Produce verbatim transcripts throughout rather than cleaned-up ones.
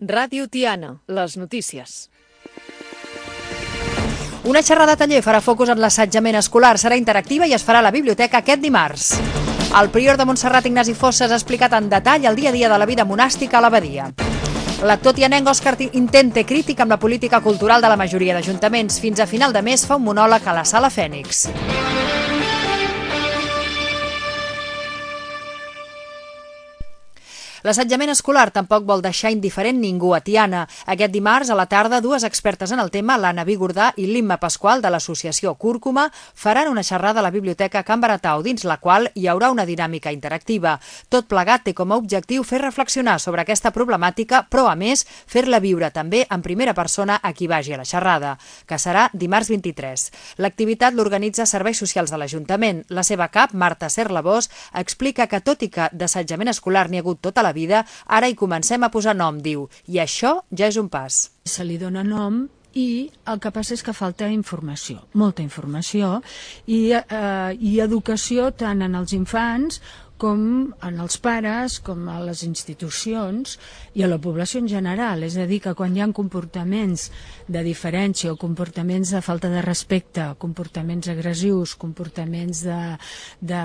Ràdio Tiana, les notícies. Una xerrada taller farà focus en l'assetjament escolar, serà interactiva i es farà a la biblioteca aquest dimarts. El prior de Montserrat, Ignasi Fossas, ha explicat en detall el dia a dia de la vida monàstica a l'abadia. L'actor tianenc Òscar Intente, crític amb la política cultural de la majoria d'ajuntaments, fins a final de mes fa un monòleg a la Sala Fènix. L'assetjament escolar tampoc vol deixar indiferent ningú a Tiana. Aquest dimarts a la tarda, dues expertes en el tema, l'Anna Vigordà i l'Imma Pasqual de l'associació Cúrcuma, faran una xerrada a la Biblioteca Can Baratau, dins la qual hi haurà una dinàmica interactiva. Tot plegat té com a objectiu fer reflexionar sobre aquesta problemàtica, però a més fer-la viure també en primera persona a qui vagi a la xerrada, que serà dimarts vint-i-tres. L'activitat l'organitza Serveis Socials de l'Ajuntament. La seva cap, Marta Serlabós, explica que tot i que d'assetjament escolar n'hi ha hagut tota la vida, ara hi comencem a posar nom, diu, i això ja és un pas. Se li dona nom i el que passa és que falta informació, molta informació, i, eh, i educació tant en els infants com en els pares, com a les institucions i a la població en general. És a dir, que quan hi ha comportaments de diferència o comportaments de falta de respecte, comportaments agressius, comportaments de, de,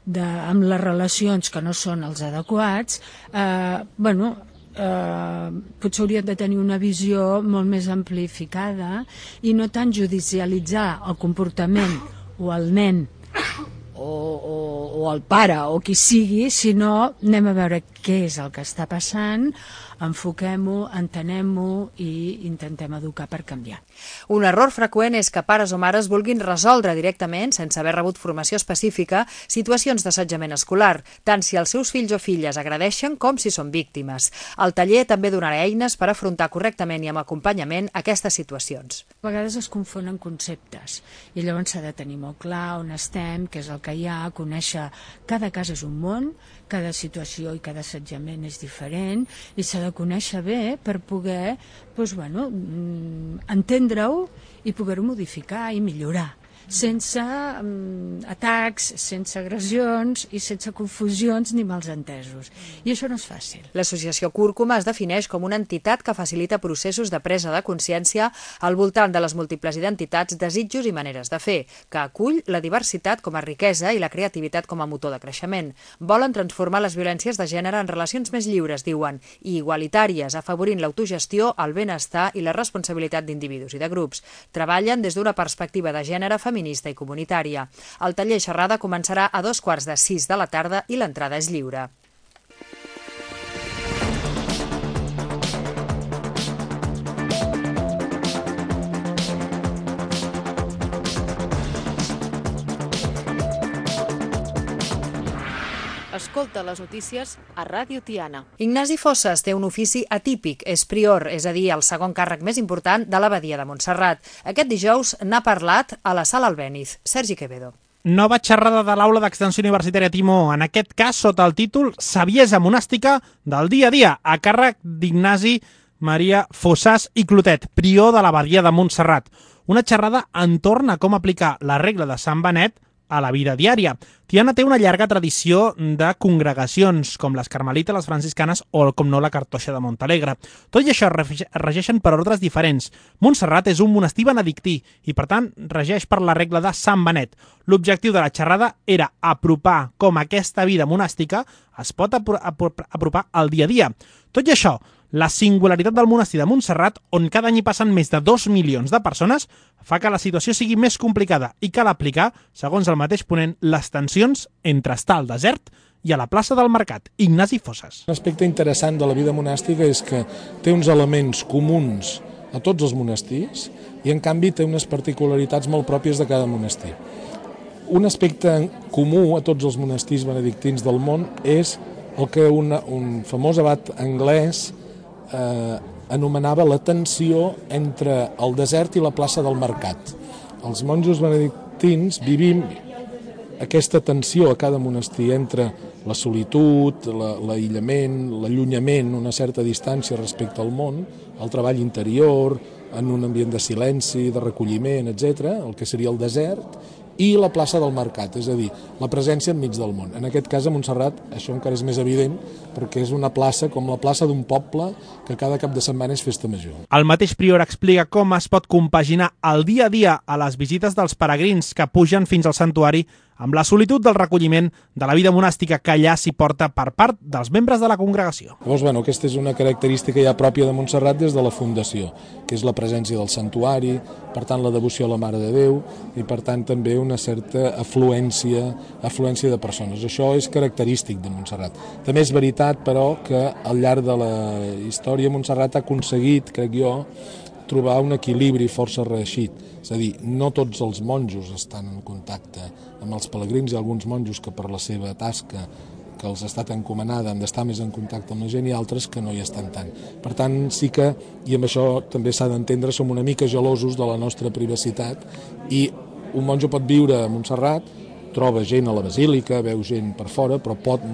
de, amb les relacions que no són els adequats, eh, bueno, eh, potser haurien de tenir una visió molt més amplificada i no tant judicialitzar el comportament o el nen O, o, o el pare o qui sigui, sinó anem a veure què és el que està passant, enfoquem-ho, entenem-ho i intentem educar per canviar. Un error freqüent és que pares o mares vulguin resoldre directament, sense haver rebut formació específica, situacions d'assetjament escolar, tant si els seus fills o filles agredeixen com si són víctimes. El taller també donarà eines per afrontar correctament i amb acompanyament aquestes situacions. A vegades es confonen conceptes i llavors s'ha de tenir molt clar on estem, què és el que hi ha, conèixer cada cas és un món, cada situació i cada assetjament és diferent i s'ha de conèixer bé per poder doncs, bueno, entendre-ho i poder-ho modificar i millorar, sense um, atacs, sense agressions i sense confusions ni malsentesos. I això no és fàcil. L'associació Cúrcuma es defineix com una entitat que facilita processos de presa de consciència al voltant de les múltiples identitats, desitjos i maneres de fer, que acull la diversitat com a riquesa i la creativitat com a motor de creixement. Volen transformar les violències de gènere en relacions més lliures, diuen, i igualitàries, afavorint l'autogestió, el benestar i la responsabilitat d'individus i de grups. Treballen des d'una perspectiva de gènere feminista i comunitària. El taller xerrada començarà a dos quarts de sis de la tarda i l'entrada és lliure. Escolta les notícies a Ràdio Tiana. Ignasi Fossas té un ofici atípic, és prior, és a dir, el segon càrrec més important de l'abadia de Montserrat. Aquest dijous n'ha parlat a la Sala Albéniz. Sergi Quevedo. Nova xerrada de l'Aula d'Extensió Universitària Timó, en aquest cas sota el títol Saviesa monàstica del dia a dia, a càrrec d'Ignasi Maria Fossas i Clotet, prior de l'abadia de Montserrat. Una xerrada entorn a com aplicar la regla de Sant Benet a la vida diària. Tiana té una llarga tradició de congregacions, com les carmelites, les franciscanes o, com no, la cartoixa de Montalegre. Tot i això es regeixen per ordres diferents. Montserrat és un monestir benedictí i, per tant, regeix per la regla de Sant Benet. L'objectiu de la xerrada era apropar com aquesta vida monàstica es pot apropar al dia a dia. Tot i això, la singularitat del monestir de Montserrat, on cada any hi passen més de dos milions de persones, fa que la situació sigui més complicada i cal aplicar, segons el mateix ponent, les tensions entre estar al desert i a la plaça del Mercat. Ignasi Fossas. Un aspecte interessant de la vida monàstica és que té uns elements comuns a tots els monestirs i, en canvi, té unes particularitats molt pròpies de cada monestir. Un aspecte comú a tots els monestirs benedictins del món és el que una, un famós abat anglès Eh, anomenava la tensió entre el desert i la plaça del Mercat. Els monjos benedictins vivim aquesta tensió a cada monestir entre la solitud, l'aïllament, l'allunyament, una certa distància respecte al món, el treball interior, en un ambient de silenci, de recolliment, etcètera, el que seria el desert, i la plaça del Mercat, és a dir, la presència enmig del món. En aquest cas, a Montserrat, això encara és més evident, perquè és una plaça com la plaça d'un poble que cada cap de setmana és festa major. El mateix prior explica com es pot compaginar el dia a dia a les visites dels peregrins que pugen fins al santuari amb la solitud del recolliment de la vida monàstica que allà s'hi porta per part dels membres de la congregació. Llavors, bueno, aquesta és una característica ja pròpia de Montserrat des de la fundació, que és la presència del santuari, per tant la devoció a la Mare de Déu i per tant també una certa afluència, afluència de persones. Això és característic de Montserrat. També és veritat, però, que al llarg de la història Montserrat ha aconseguit, crec jo, trobar un equilibri força reeixit. És a dir, no tots els monjos estan en contacte amb els pelegrins, hi ha alguns monjos que per la seva tasca que els ha estat encomanada han d'estar més en contacte amb la gent i altres que no hi estan tant. Per tant, sí que, i amb això també s'ha d'entendre, som una mica gelosos de la nostra privacitat i un monjo pot viure a Montserrat, troba gent a la basílica, veu gent per fora, però pot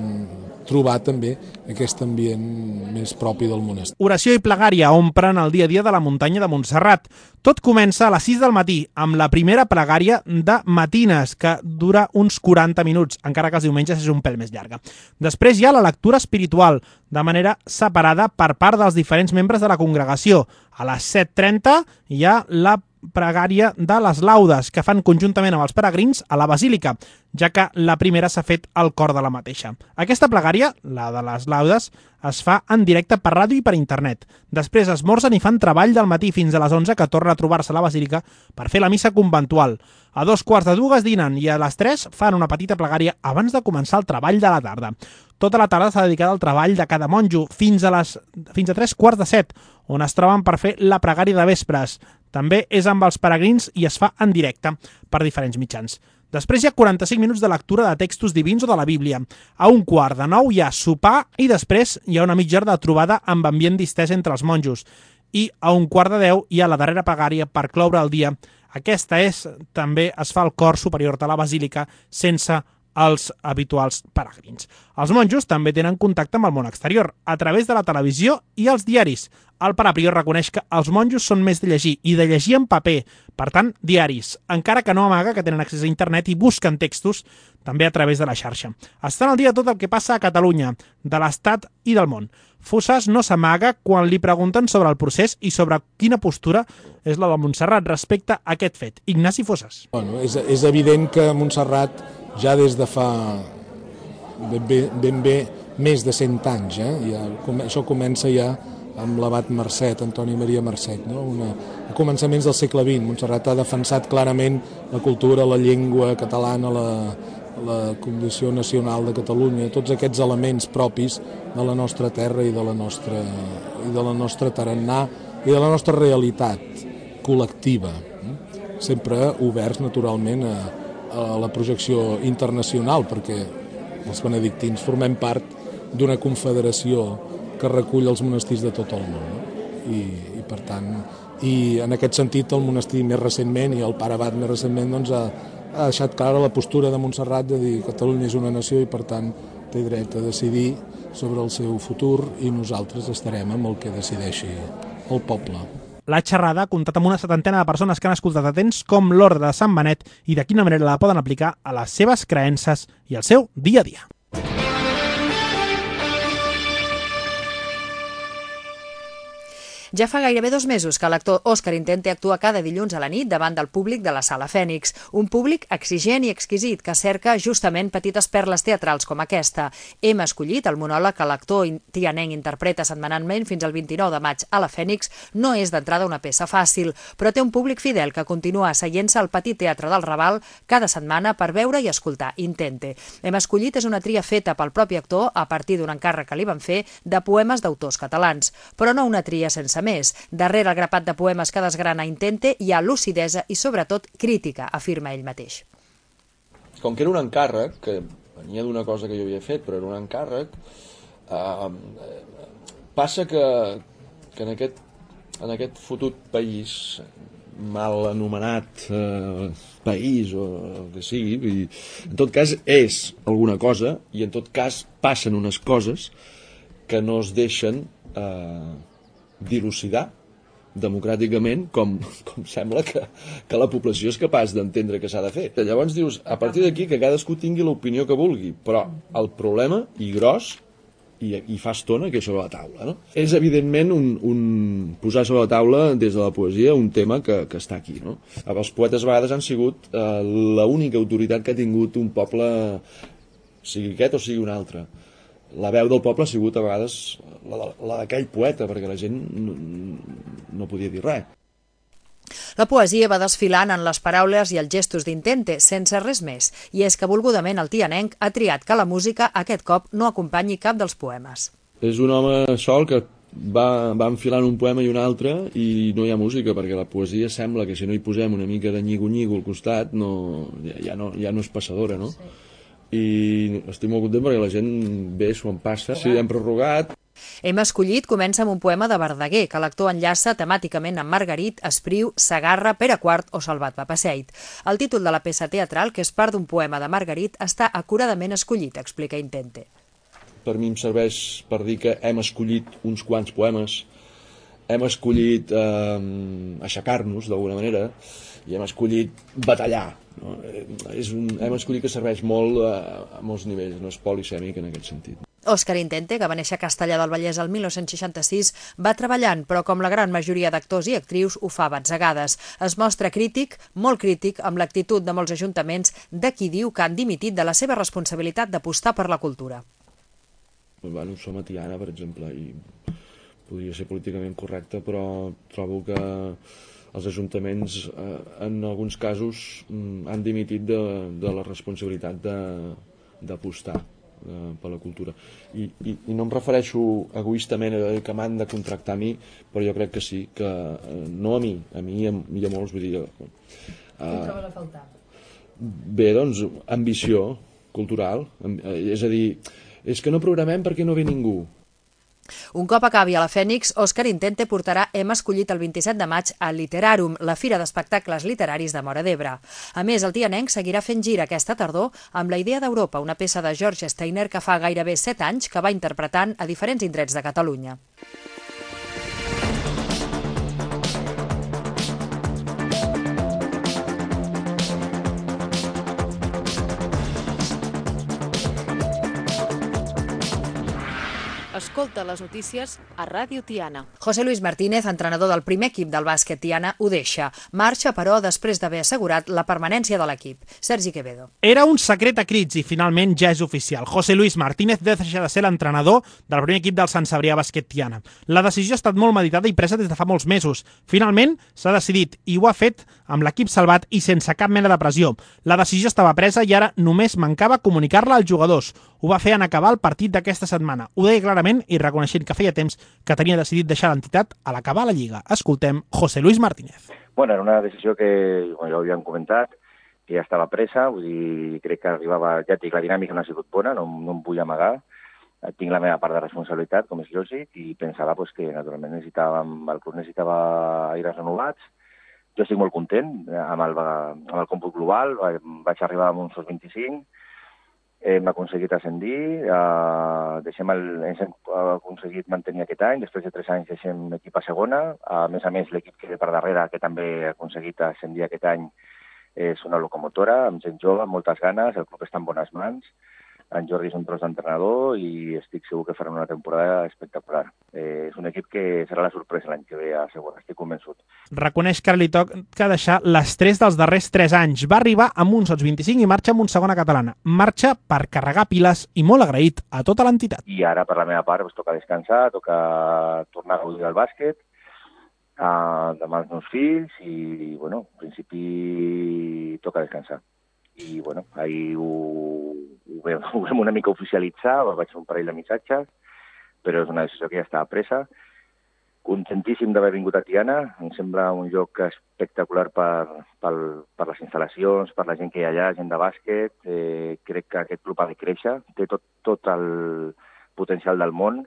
trobar també aquest ambient més propi del monestir. Oració i plegària omplen el dia a dia de la muntanya de Montserrat. Tot comença a les sis del matí, amb la primera plegària de matines, que dura uns quaranta minuts, encara que els diumenges és un pèl més llarga. Després hi ha la lectura espiritual, de manera separada per part dels diferents membres de la congregació. A les set trenta hi ha la pregària de les laudes, que fan conjuntament amb els peregrins a la basílica, ja que la primera s'ha fet al cor de la mateixa. Aquesta plegària, la de les laudes, es fa en directe per ràdio i per internet. Després esmorzen i fan treball del matí fins a les onze, que torna a trobar-se a la basílica per fer la missa conventual. A dos quarts de dues dinen i a les tres fan una petita plegària abans de començar el treball de la tarda. Tota la tarda s'ha dedicat al treball de cada monjo fins a, les, fins a tres quarts de set, on es troben per fer la pregària de vespres. També és amb els peregrins i es fa en directe per diferents mitjans. Després hi ha quaranta-cinc minuts de lectura de textos divins o de la Bíblia. A un quart de nou hi ha sopar i després hi ha una mitja hora de trobada amb ambient distès entre els monjos. I a un quart de deu hi ha la darrera pregària per cloure el dia. Aquesta és, també es fa al cor superior de la basílica sense els habituals peregrins. Els monjos també tenen contacte amb el món exterior, a través de la televisió i els diaris. El pare prior reconeix que els monjos són més de llegir i de llegir en paper, per tant, diaris, encara que no amaga que tenen accés a internet i busquen textos també a través de la xarxa. Estan al dia tot el que passa a Catalunya, de l'Estat i del món. Fossas no s'amaga quan li pregunten sobre el procés i sobre quina postura és la de Montserrat respecte a aquest fet. Ignasi Fossas. Bueno, és, és evident que Montserrat ja des de fa ben bé, ben bé més de cent anys, eh? Ja, això comença ja amb l'abat Marcet, Antoni Maria Marcet, no? Una, a començaments del segle vint. Montserrat ha defensat clarament la cultura, la llengua catalana, la, la condició nacional de Catalunya, tots aquests elements propis de la nostra terra i de la nostra, i de la nostra tarannà i de la nostra realitat col·lectiva, sempre oberts naturalment a, a la projecció internacional, perquè els benedictins formem part d'una confederació que recull els monestirs de tot el món. No? I, i per tant, i en aquest sentit el monestir més recentment i el pare abat més recentment doncs, ha, ha deixat clara la postura de Montserrat de dir que Catalunya és una nació i per tant té dret a decidir sobre el seu futur i nosaltres estarem amb el que decideixi el poble. La xerrada ha comptat amb una setantena de persones que han escoltat atents com l'ordre de Sant Benet i de quina manera la poden aplicar a les seves creences i al seu dia a dia. Ja fa gairebé dos mesos que l'actor Òscar Intente actua cada dilluns a la nit davant del públic de la Sala Fènix, un públic exigent i exquisit que cerca justament petites perles teatrals com aquesta. Hem escollit el monòleg que l'actor tianenc interpreta setmanalment fins al vint-i-nou de maig a la Fènix. No és d'entrada una peça fàcil, però té un públic fidel que continua asseient-se al petit teatre del Raval cada setmana per veure i escoltar Intente. Hem escollit és una tria feta pel propi actor a partir d'un encàrrec que li van fer de poemes d'autors catalans, però no una tria sense més. Darrere el grapat de poemes que desgrana Intente hi ha lucidesa i, sobretot, crítica, afirma ell mateix. Com que era un encàrrec, que venia d'una cosa que jo havia fet, però era un encàrrec, eh, passa que, que en, aquest, en aquest fotut país, mal anomenat eh, país o el que sigui, i en tot cas és alguna cosa i en tot cas passen unes coses que no es deixen eh, dilucidar democràticament com, com sembla que, que la població és capaç d'entendre que s'ha de fer. Llavors dius, a partir d'aquí que cadascú tingui l'opinió que vulgui, però el problema, i gros, i, i fa estona que és sobre la taula, no? És evidentment un, un posar sobre la taula des de la poesia un tema que, que està aquí, no? Els poetes a vegades han sigut eh, l'única autoritat que ha tingut un poble, sigui aquest o sigui un altre. La veu del poble ha sigut a vegades la, la d'aquell poeta, perquè la gent no, no podia dir res. La poesia va desfilant en les paraules i els gestos d'Intente, sense res més, i és que volgudament el tianenc ha triat que la música aquest cop no acompanyi cap dels poemes. És un home sol que va, va enfilant un poema i un altre i no hi ha música, perquè la poesia sembla que si no hi posem una mica de nyigo-nyigo al costat no, ja, ja, no, ja no és passadora, no? Sí. I estic molt content perquè la gent ve, s'ho en passa. Sí, hem prorrogat. Hem escollit comença amb un poema de Verdaguer, que l'actor enllaça temàticament amb Margarit, Espriu, Segarra, Pere quart o Salvat Papasseit. El títol de la peça teatral, que és part d'un poema de Margarit, està acuradament escollit, explica Intente. Per mi em serveix per dir que hem escollit uns quants poemes, hem escollit eh, aixecar-nos d'alguna manera i hem escollit batallar. No? És un, hem escollit que serveix molt eh, a molts nivells, no és polisèmic en aquest sentit. Òscar Intente, que va néixer a Castellar del Vallès el mil nou-cents seixanta-sis, va treballant, però com la gran majoria d'actors i actrius ho fa a batzegades. Es mostra crític, molt crític, amb l'actitud de molts ajuntaments de qui diu que han dimitit de la seva responsabilitat d'apostar per la cultura. Bueno, som a Tiana, per exemple, i podria ser políticament correcte, però trobo que els ajuntaments, eh, en alguns casos, han dimitit de, de la responsabilitat d'apostar per la cultura. I, i, i no em refereixo egoistament a que m'han de contractar a mi, però jo crec que sí, que no a mi, a mi i a, i a molts, vull dir... Uh, Què trobes a faltar? Bé, doncs, ambició cultural, és a dir, és que no programem perquè no ve ningú. Un cop acabi a la Fènix, Òscar Intente portarà Hem escollit el vint-i-set de maig a Literarum, la fira d'espectacles literaris de Móra d'Ebre. A més, el tianenc seguirà fent gira aquesta tardor amb La idea d'Europa, una peça de George Steiner que fa gairebé set anys que va interpretant a diferents indrets de Catalunya. Escolta les notícies a Ràdio Tiana. José Luis Martínez, entrenador del primer equip del bàsquet Tiana, ho deixa. Marxa, però, després d'haver assegurat la permanència de l'equip. Sergi Quevedo. Era un secret a crits i finalment ja és oficial. José Luis Martínez deixa de ser l'entrenador del primer equip del Sant Cebrià Bàsquet Tiana. La decisió ha estat molt meditada i presa des de fa molts mesos. Finalment s'ha decidit i ho ha fet amb l'equip salvat i sense cap mena de pressió. La decisió estava presa i ara només mancava comunicar-la als jugadors. Ho va fer en acabar el partit d'aquesta setmana. Ho deia clarament i reconeixent que feia temps que tenia decidit deixar l'entitat a l'acabar la Lliga. Escoltem José Luis Martínez. Bueno, era una decisió que, com ja ho havíem comentat, que ja estava presa, vull dir, crec que arribava, ja et dic, la dinàmica no ha sigut bona, no, no em vull amagar, tinc la meva part de responsabilitat, com és lògic, i pensava pues, que naturalment necessitàvem, el club necessitava aires renovats. Jo estic molt content amb el, amb el còmput global, vaig arribar amb uns vint-i-cinc, hem aconseguit ascendir, eh, deixem el, hem aconseguit mantenir aquest any, després de tres anys deixem l'equip a segona, a més a més l'equip que ve per darrere, que també ha aconseguit ascendir aquest any, és una locomotora, amb gent jove, amb moltes ganes, el club està en bones mans, en Jordi és un tros d'entrenador i estic segur que faran una temporada espectacular. Eh, és un equip que serà la sorpresa l'any que ve, segur, estic convençut. Reconeix que li toca deixar l'estrès dels darrers tres anys. Va arribar amb uns vint-i-cinc i marxa amb un segona catalana. Marxa per carregar piles i molt agraït a tota l'entitat. I ara, per la meva part, pues, toca descansar, toca tornar a gaudir del bàsquet, uh, demà els meus fills i, bueno, en principi toca descansar. I, bueno, ahir ho, ho, vam, ho vam una mica oficialitzar, vaig fer un parell de missatges, però és una decisió que ja estava presa. Contentíssim d'haver vingut a Tiana, em sembla un lloc espectacular per, per, per les instal·lacions, per la gent que hi ha allà, gent de bàsquet. Eh, crec que aquest club ha de créixer, té tot, tot el potencial del món,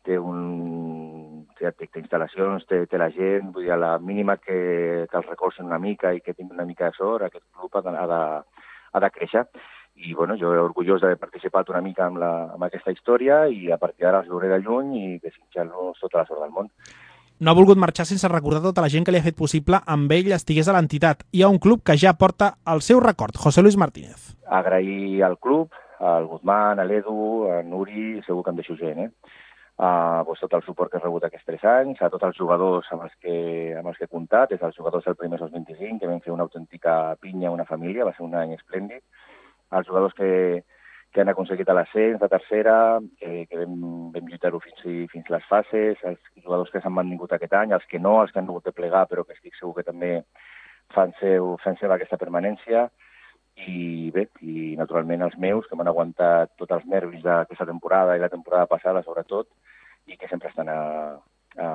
té un... té, té instal·lacions, té, té la gent, vull dir, a la mínima que, que els recolzin una mica i que tingui una mica de sort, aquest club ha de, ha de, ha de créixer. I bueno, jo orgullós d'haver participat una mica amb, la, amb aquesta història i a partir d'ara els veuré de lluny i desitjar-los tota la sort del món. no ha volgut marxar sense recordar tota la gent que li ha fet possible amb ell estigués a l'entitat. Hi ha un club que ja porta el seu record, José Luis Martínez. Agrair al club, al Guzmán, a l'Edu, a Nuri, segur que em deixo gent, eh? Uh, doncs tot el suport que he rebut aquests tres anys, a tots els jugadors amb els que, amb els que he comptat, des dels jugadors del primer dos vint-i-cinc, que vam fer una autèntica pinya, una família, va ser un any esplèndid, als jugadors que, que han aconseguit l'ascens de tercera, que, que vam, vam lluitar-ho fins, fins les fases, els jugadors que s'han mantingut aquest any, els que no, els que han hagut de plegar, però que estic segur que també fan, seu, fan seva aquesta permanència, i bé, i naturalment els meus, que m'han aguantat tots els nervis d'aquesta temporada i la temporada passada, sobretot, i que sempre estan a, a,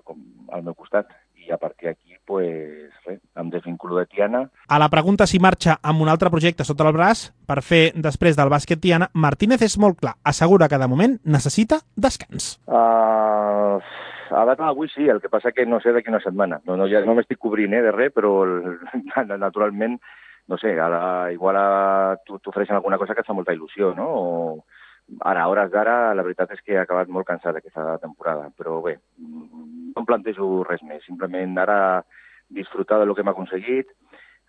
com, al meu costat. I a partir d'aquí, pues, res, em desvinculo de Tiana. A la pregunta si marxa amb un altre projecte sota el braç per fer després del bàsquet Tiana, Martínez és molt clar, assegura que de moment necessita descans. Uh, a data d'avui sí, el que passa que no sé d'aquí una setmana. No, no, ja no m'estic cobrint eh, de res, però naturalment no sé, ara igual t'ofereixen alguna cosa que et fa molta il·lusió, no? O ara, a hores d'ara, la veritat és que he acabat molt cansat aquesta temporada, però bé, no em plantejo res més, simplement ara disfrutar del que hem aconseguit,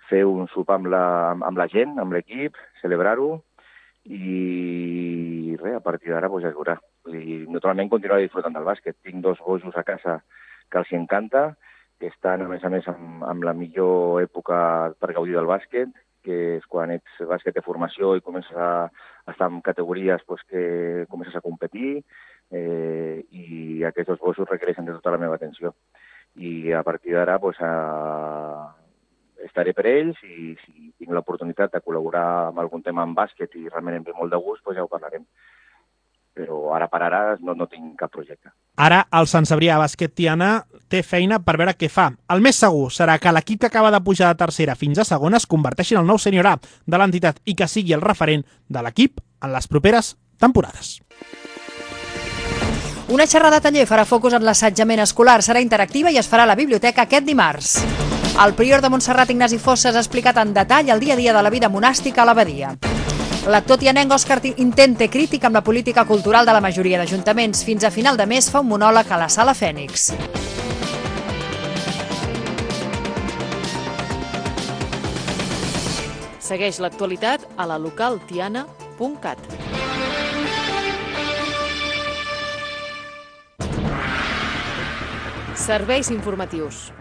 fer un sopar amb la, amb la gent, amb l'equip, celebrar-ho, i res, a partir d'ara pues, ja es veurà. I, naturalment continuaré disfrutant del bàsquet. Tinc dos bojos a casa que els encanta, que estan, a més a més, amb, amb la millor època per gaudir del bàsquet, que és quan ets bàsquet de formació i comences a estar en categories pues, que comences a competir, eh, i aquests dos gossos requereixen de tota la meva atenció. I a partir d'ara pues, a... estaré per ells i si tinc l'oportunitat de col·laborar amb algun tema en bàsquet i realment em ve molt de gust, pues, ja ho parlarem. Però ara per ara no, no tinc cap projecte. Ara el Sant Cebrià Bàsquet Tiana té feina per veure què fa. El més segur serà que l'equip que acaba de pujar de tercera fins a segona es converteixi en el nou sènior A de l'entitat i que sigui el referent de l'equip en les properes temporades. Una xerrada taller farà focus en l'assetjament escolar, serà interactiva i es farà a la biblioteca aquest dimarts. El prior de Montserrat, Ignasi Fossas, ha explicat en detall el dia a dia de la vida monàstica a l'abadia. L'actor tianenc Òscar Intente, crític amb la política cultural de la majoria d'ajuntaments. Fins a final de mes fa un monòleg a la Sala Fènix. Segueix l'actualitat a la local tiana punt cat. Serveis informatius.